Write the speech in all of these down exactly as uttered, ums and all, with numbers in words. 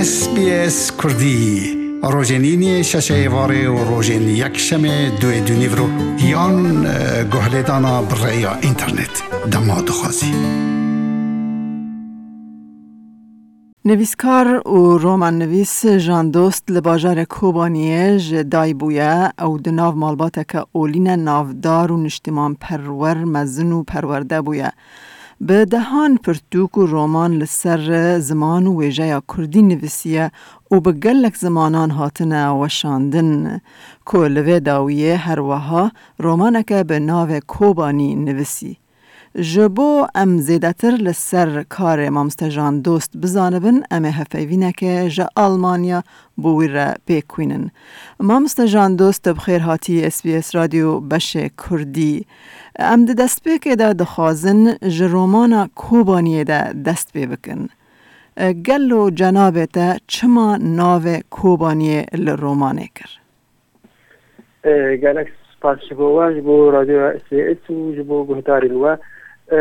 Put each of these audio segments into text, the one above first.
S B S Kurdî, rojên îniyê şeşê êvarê û rojên yekşemê duê dûnîvro yan, e, guhlêdana bi rêya înternet. Dema dixwazî. Nivîskar û romannivîs Jan Dost li bajarê Kobaniyê ji dayik bûye. Ew di nav malbateke olî ne navdar û niştimanperwer mezin û perwerde bûye. Bi dehan pirtûk û roman li ser ziman û wêjeya kurdî nivîsiye û bi gelek zimanan hatine weşandin, ku li vê dawiyê her weha romaneke bi navê Kobanî nivîsî. Ji bo em zêdetir li ser karê Mamoste Jan Dost bizanibin, em ê hevpeyvîneke ji Almanya bo wî re pêk xwînin. Mamoste Jan Dost, te bi xêr hatî S B S Radyo beşê Kurdî. Em di destpêkê de dixwazin ji romana Kobaniyê de dest pê bikin. E, gelo cenabê te çima navê Kobaniyê li romanê kir? E, gelek spas ji bo we, ji bo Radyoya S B S û ji bo guhdarên we. E,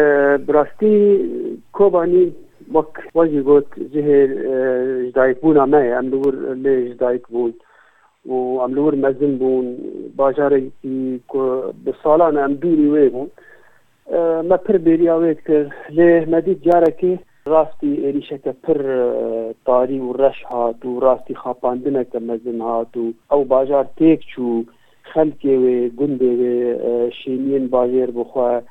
bi rastî Kobanî, wek we jî got, cihê, e, ji dayikbûna me ye. Em li wir lê ji dayik bûn û em li wir mezin bûn. Bajarekî ku bi salan e em dûrî wê bûn. E, me pir bêriya wê dikir. Lê me dît carekê rastî êrîşeke pir, e, tarî û reş hat û rastî xapandineke mezin hat û ew bajar têk çû, xelkê wê, gundê wê, e, şêniyên bajêr bi xwe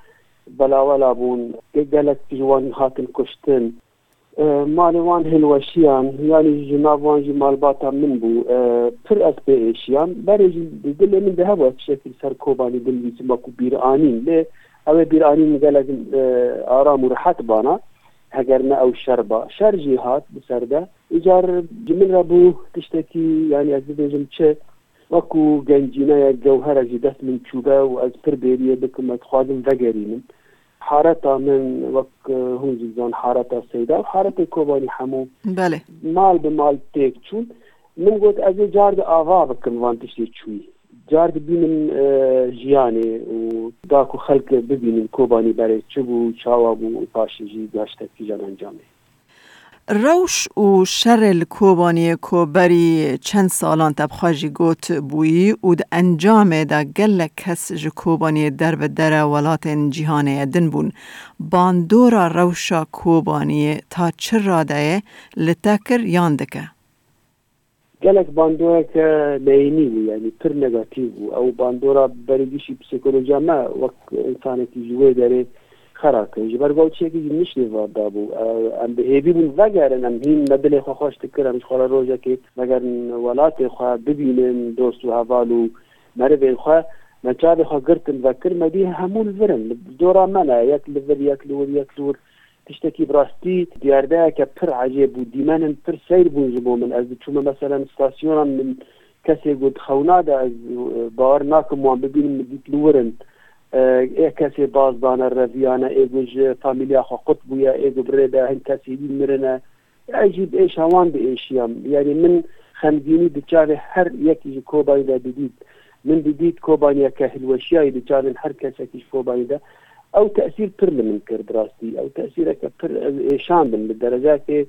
belawela bûn. Ge-, gelek ji wan hatin kuştin. E, malê wan hilweşiyan, yanî ji nav wan jî malbata min bû. E, pir ez pê êşiyam. Berê jî di dilê min de hebû ez tiştekî li ser Kobanî binivîsim wekû bîranîn. Lê ew ê bîranîn gelek, e, aram û rehet bana. Heger ne ew şer ba. Şer jî hat bi ser de. Îcar ji min re bû tiştekî, yanî ez bibêjim çi, wekû gencîneyek, gewherek ji dest min çûbe û ez pir bêriyê bikim, ez dixwazim vegerînim. Hareta min wek, e, hûn jî dizan hareta Seyda û haretê Kobanî hemû Belê. mal bi mal têk çûn. Min got ez ê car di ava bikim van tiştê çûyî. Car dibînim, e, jiyanê û da ku xelk bibînin Kobanî berê çi bû, çawa bû û paşê jî gaştek kîjan encamê. Rewş û şerê li Kobaniyê ku berî çend salan te bi xwe jî got bûyî û di encamê de gelek kes ji Kobaniyê derbedere welatên cîhanê ye din bûn. Bandora rewşa Kobaniyê ta çi radeyê li te kir yan dike? Gelek bandoreke neyînî bû, yanî pir negatîf bû. Ew bandora berî gişî psîkolojiya me wek însanekî ji wê derê xera kir. Ji ber ku ew tiştekî ji niştê ve dabû. Ew, em bi hêvî bûn vegerin, em hîn me dilê xwe xweş dikir, em ji xwe re rojekê vegerin welatê xwe, bibînin dost û heval û merivên xwe. Me çavê xwe girtin vekir, me dî hemû li vir in. Li dora me ne, yek li vir, yek li wir, yek li wir. Tiştekî bi rastî diyardeyeke pir ecêb bû. Dîmenên pir seyr bûn ji bo min. Ez diçûme meselen stasyonan, min kesê got xewna de, ez, e, bawer nakim wan bibînim, min dît li wir in. E, ê kesê baz dane, reviyane, ê got ji famîliya xwe qut bûye, ê got bi rê de hin kesê dî mirine. Ez jî bi êşa wan diêşiyam. Yanî min xemgînî di çavê her yekî ji Kobanî de didît. Min didît Kobaniyeke hilweşiyayî di çavên her kesekî ji Kobanî de. Ew tesîr pir li min kir bi rastî. Ew tesîreke pir ez êşandim li dereceyekê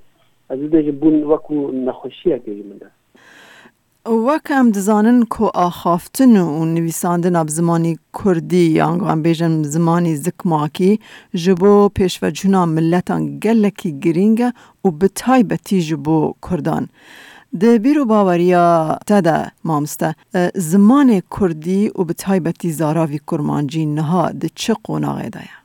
ez bibêjim bûn wekû nexweşiyekê ji min re. Wek em dizanin ku axaftin û nivîsandina bi zimanî kurdî, yan em bêjin zimanî zikmakî, ji bo pêşvecihuna miletan gelekî girîng e û bi taybetî ji bo kurdan. Di bîr û baweriya te de, mamoste, e, zimanê kurdî û bi taybetî zaravî kurmancî niha di çi qonaxê de ye?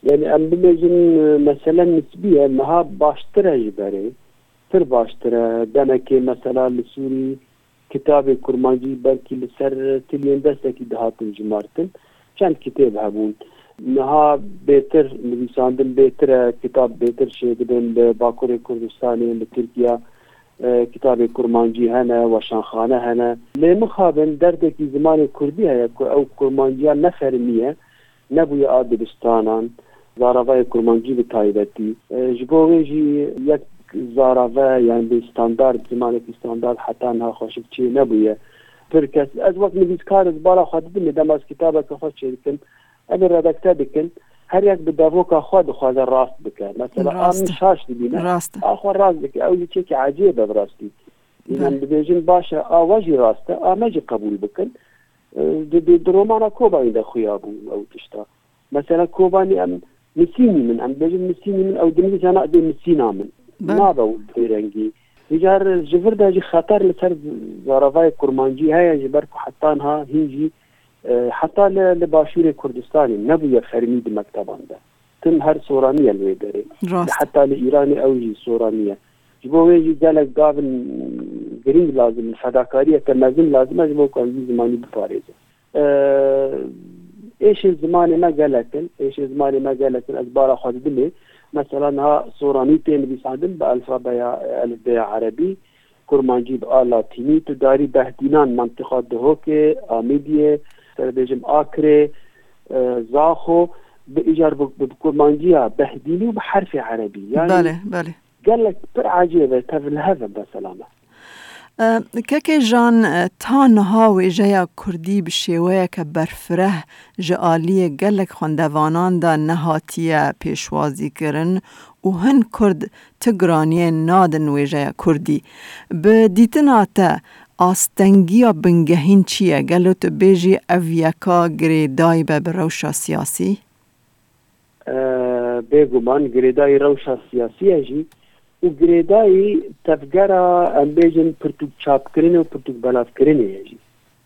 Yanî em bibêjin, e, mesele nisbî ye, niha baştir e ji berê. Pir baştir e. Demekê mesela li Sûrî kitabê kurmancî belkî li ser tiliyên destekî dihatin jimartin. Çend kitêb hebûn. Niha bêtir nivîsandin bêtir e, kitab bêtir çêdibin li Bakurê Kurdistanê, li Tirkiya, e, kitabê kurmancî hene, weşanxane hene. Lê mixabin derdekî zimanê kurdî heye ku ew kurmanciya nefermî ye. Nebûye a dibistanan, zaravayê kurmancî bi taybetî. E, ji bo wê jî yek zarave, yani bi standard, zimanekî standard heta niha xweşik çê nebûye. Pir kes, ez wek nivîskar ez bala xwe didimê, dema ez kitabeke xwe çêdikim, em ê redakte dikin. Her yek bi devoka xwe dixwaze rast bike. Mesela, a Rast min e. şaş dibîne, Rast e. a xwe rast dike. Ew jî çekî ecêb e bi rastî. Yin Be. em dibêjin, baş e, a we jî rast e, a me jî qebûl bikin. E, di, di, di romana Kobanî de xuya bû ew tişta. Mesela, Kobanî em misînî min, em dibêjin misînî min, ew dinivîse na dê misîna min. Be. Nabe û bêrengî. Îcar ji vir de jî xeter li ser zaravayê kurmancî heye, ji ber ku heta niha hîn jî, e, heta li, li başûrê Kurdistanê nebûye fermî di mekteban de. Tim her soraniye li wê derê. Rast. Heta li Îranê ew jî soraniye. Ji bo wê jî gelek gavin girîng lazim in, fedakariyeke mezin lazim e, ji bo ku em vî zimanî biparêzin. Ee, êşên zimanê me gelek in, êşên zimanê me gelek in, ez bara xwe didim ê. Mesela niha soranî tê nivîsandin bi alfabeya, elifbeya erebî, kurmancî bi a latînî, tu darî Behdînan, mantiqa Duhokê, Amêdiyê, ser bêjim Akrê, e, Zaxo, bi îcar bi, bi, bi kurmanciya Behdînî û bi herfê erebî. Yani Belê, belê. gelek pir ecêb e, tevlihev e mesela me. E, Kekê Jan, e, ta niha wêjeya kurdî bi şêweyeke berfireh ji aliyê gelek xwendevanan de nehatiye pêşwazîkirin û hin kurd ti giraniyê nadin wêjeya kurdî. Bi dîtina te, astengiya bingehîn çi ye? Gelo tu bêjî ev yeka girêdayî be bi rewşa siyasî? E, bêguman girêdayî rewşa siyasî ye jî û girêdayî tevgera, em bêjin, pirtûk çapkirinê û pirtûk belavkirinê ye jî.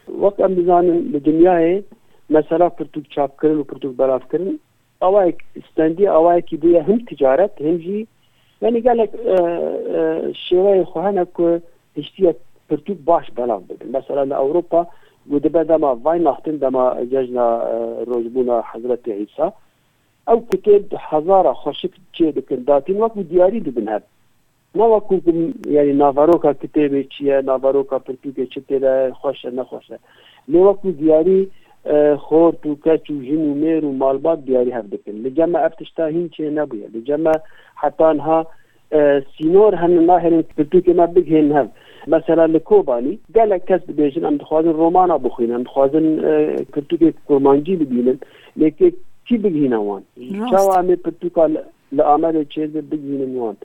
Wek em dizanin, li dinyayê mesela pirtûk çapkirin û pirtûk belavkirin awayek stendî, awayekî bûye him ticaret, him jî, yanî gelek, e, e, şêweyê xwe hene ku hiştiye pirtûk baş belav bibin. Mesela li Ewropa, ku dibe dema Weihnachten, dema cejna, e, rojbûna Hezretê Îsa, ew kitêb hezara xweşik çê dikin, datîn wekû diyarî didin hev. Ne wekû ku, yanî, naveroka kitêbê çi ye, naveroka pirtûkê çi tê de, xweş e, nexweş e. Lê wekû diyarî, e, xort û keç û jin û mêr û malbat diyarî hev dikin. Li cem me ev tişta hîn çê nebûye. Li cem me heta niha, e, sînor hene nahêlin pirtûkê me bigihên hev. Mesela li Kobanî gelek kes dibêjin, em dixwazin romana bixwînin, em dixwazin, e, pirtûkê kurmancî bibînin. Lê kê, kî bigihîne wan? Rast. Çawa em ê pirtûka li, li Amedê çêdibe bigihînin wan?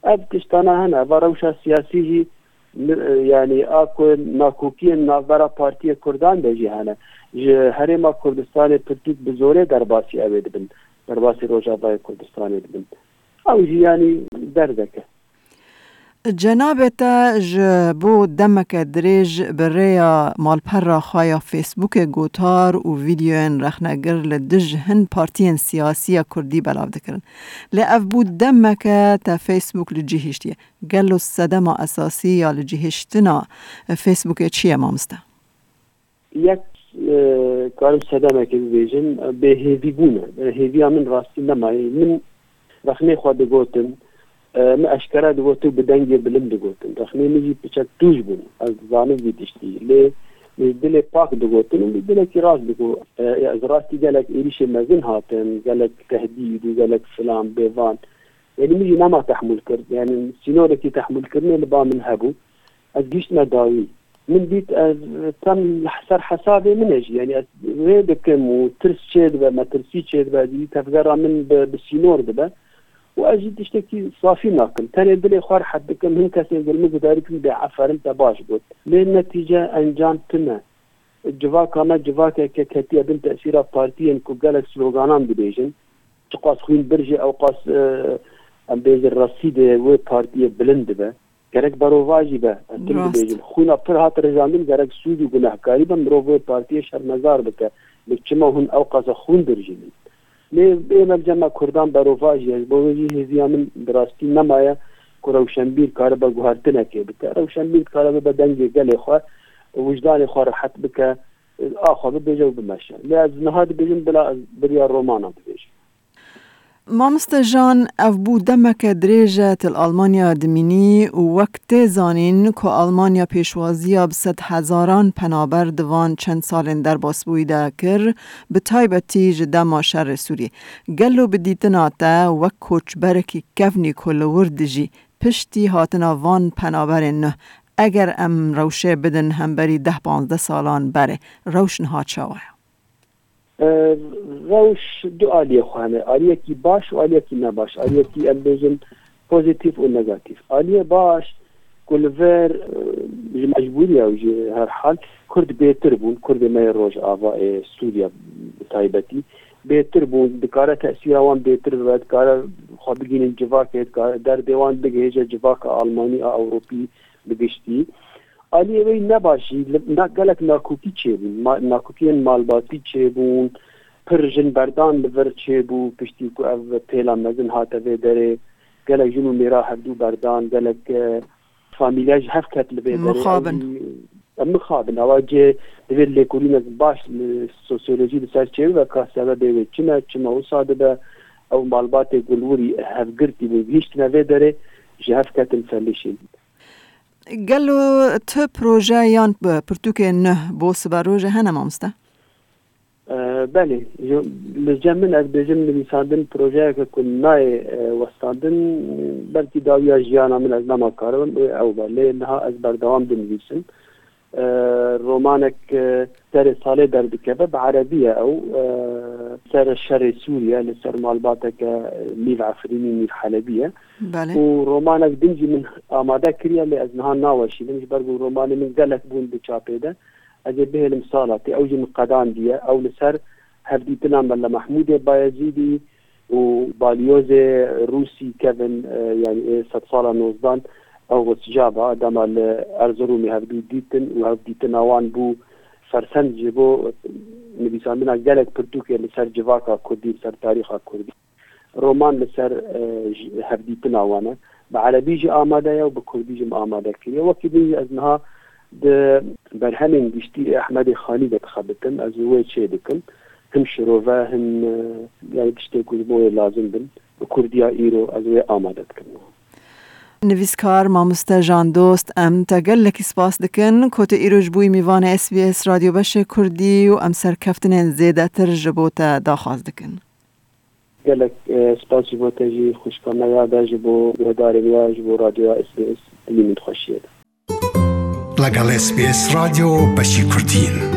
Ev tiştana hene. Va rewşa siyasî jî, mi-, e, yanî a ku nakokiyên navbera partiyê Kurdan de jî hene. Ji Herêma Kurdistanê pirtûk bi zorê derbasî ew ê dibin. Derbasî Rojavayê Kurdistanê dibin. Ew jî, yanî, derdek e. Cenabê te ji bo demeke dirêj bi rêya malpera xwe ya Facebookê gotar û vîdeoyên rexnegir li dij hin partiyên siyasî ya kurdî belav dikirin. Lê ev bû demeke te Facebook li cî hiştiye. Gelo sedema esasî ya li cî hiştina Facebookê çi ye, mamoste? Yek, e, karim sedemekê bibêjim, e, bêhêvîbûn e. E, hêviya min rastî nemaye. Min rexnê xwe digotin, e, min eşkere digotin û bi dengê bilind digotin. Rexnê min jî piçek tûj bûn. Ez dizanim vî tiştî. Lê min ji dilê pak digotin û min dilekî rast digot. E, ez rastî gelek êrîşê mezin hatin, gelek tehdîd û gelek filan bêvan. Yanî min jî nema tehmûl kir. Yanî sînorekî tehmûlkirinê li ba min hebû. Ez gihiştime dawî. Min dît ez tem li ser hesabê min e jî. Yanî ez rê dikim û tirs çêdibe, metirsî çêdibe, dî tevgera min bi, bi sînor dibe. Û ez jî tiştekî safî nakim. Tenê dilê xwe rehet dikim. Hin kesên gel min guhdar dikin, bê eferin, te baş got. Lê netîce encam tune. Civaka me civakeke ketiye bin tesîra partiyên ku gelek sloganan dibêjin. Çiqas xwîn birjê, ewqas, e, em bêjin, resîdê wê partiyê bilind dibe. Gerek berovajî be, em tim Rast. dibêjin. Xwîna pir hat rijandin, gerek sûd û gunehkarî be, mirov wê partiyê şermezar bike. Lê çima hûn ewqasa xwîn birjînin? Lê ê me li cem me Kurdan berovajî ye. Ji bo wê jî hêviya min bi rastî nemaye ku rewşenbîr karibe guhertinekê bike. Rewşenbîr dikare bibe dengê gelê xwe, wijdanê xwe rehet bike, axa bibêje û bimeşe. Lê ez niha dibêjim, bila ez biriya romana bibêjim. Mamoste Jan, ev bû demeke dirêj e tu li Almanya dimînî û wek tê zanîn ku Almanya pêşwaziya bi sed hezaran penaber di van çend salên derbasbûyî de kir, bi taybetî ji dema şerê Sûriyê. Gelo bi dîtina te wek koçberekî kevnî ku li wir dijî, piştî hatina van penaberên nû, eger em rewşê bidin hemberî deh panzdeh salan berê, rewş niha çawa ye? E, Rewş du aliyê xwe hene. Aliyekî baş û aliyekî nebaş. Aliyekî, em bêjin, pozîtîf û negatîf. Aliyê baş ku li vir, e, ji mecbûriya û ji her hal Kurd bêtir bûn. Kurdê me yê Rojava, ê Sûriya bi taybetî bêtir bûn. Dikare tesîra wan bêtir bibe, dikare xwe bigihînin civakê, dikare derdê wan bigihêje civaka Almanî a Ewropî bi giştî. Aliyê wê nebaş jî li, na, gelek nakokî çêbûn. Ma-, nakokiyên malbatî çêbûn. Pir jin berdan li vir çêbû, piştî ku ev pêla mezin hate vê derê. Gelek jin û mêra hevdû berdan, gelek, e, famîlya ji hev ket li vê derê. Mixabin. Ew jî, em mixabin. Ewa cê divê lêkolînek baş li sosyolojî li ser çêbibe, ka sebebê wê çi ne, çima wisa dibe. Ew malbatê ku li wir hevgirtî bûn, gihîştine vê derê, ji hev ketin felişîn. Gelo tu proje yan p-, pirtûkê nuh bo siberojê hene, mamoste? E, belê. Ji, li cem min, ez bêjim, nivîsandin projeyeke ku nayê, e, westandin, belkî dawiya jiyana min ez nema karibim, ê ew be. Lê niha ez berdewam dinivîsim. E, romanek, e, serê salê derdikeve, bi erebî ye ew. E, ser şerê Sûriye, li ser malbateke Mîv Efrînî, Mîv Helebî ye. Belê. Û romanek din jî min amade kiriye, lê ez niha naweşînim, ji ber ku romanê min gelek bûn di çapê de. Ez ê bihêlim sala tê, ew jî min qedandiye. Ew li ser hevdîtina Mele Mehmûdê Bayezîdî û balyozê Rûsî kevin, e, yanî ê sedsala nozdan, ew Rojava, dema li Erziromê hevdû dîtin û hevdîtina wan bû fersend ji bo nivîsandina gelek pirtûkê li ser civaka kurdî, li ser tarîxa kurdî. Roman li ser, e, ji, hevdîtina wan e. Bi erebî jî amade ye û bi kurdî jî min amade kiriye. Wekî din jî ez niha di berhemên giştî ê Ehmedê Xanî de dixebitim. Ez wê çê dikim. Him şirove, him, e, yani tiştê ku ji bo wê lazim bin. Bi kurdiya îro ez wê amade dikim. Nivîskar mamoste Jan Dost, em te gelekî spas dikin. Ku tu îro ji bo wî mîvanê S B S Radyo Beşê Kurdî û em serkeftinên zêdetir ji bo te daxwaz dikin. Gelek, e, spas ji bo te jî, xwişka me ya de, ji bo guhdarên we, ji bo radyoya S B S, dilî min xweşiyê de. لەگەڵ S B S رادیۆ بەشی کوردین.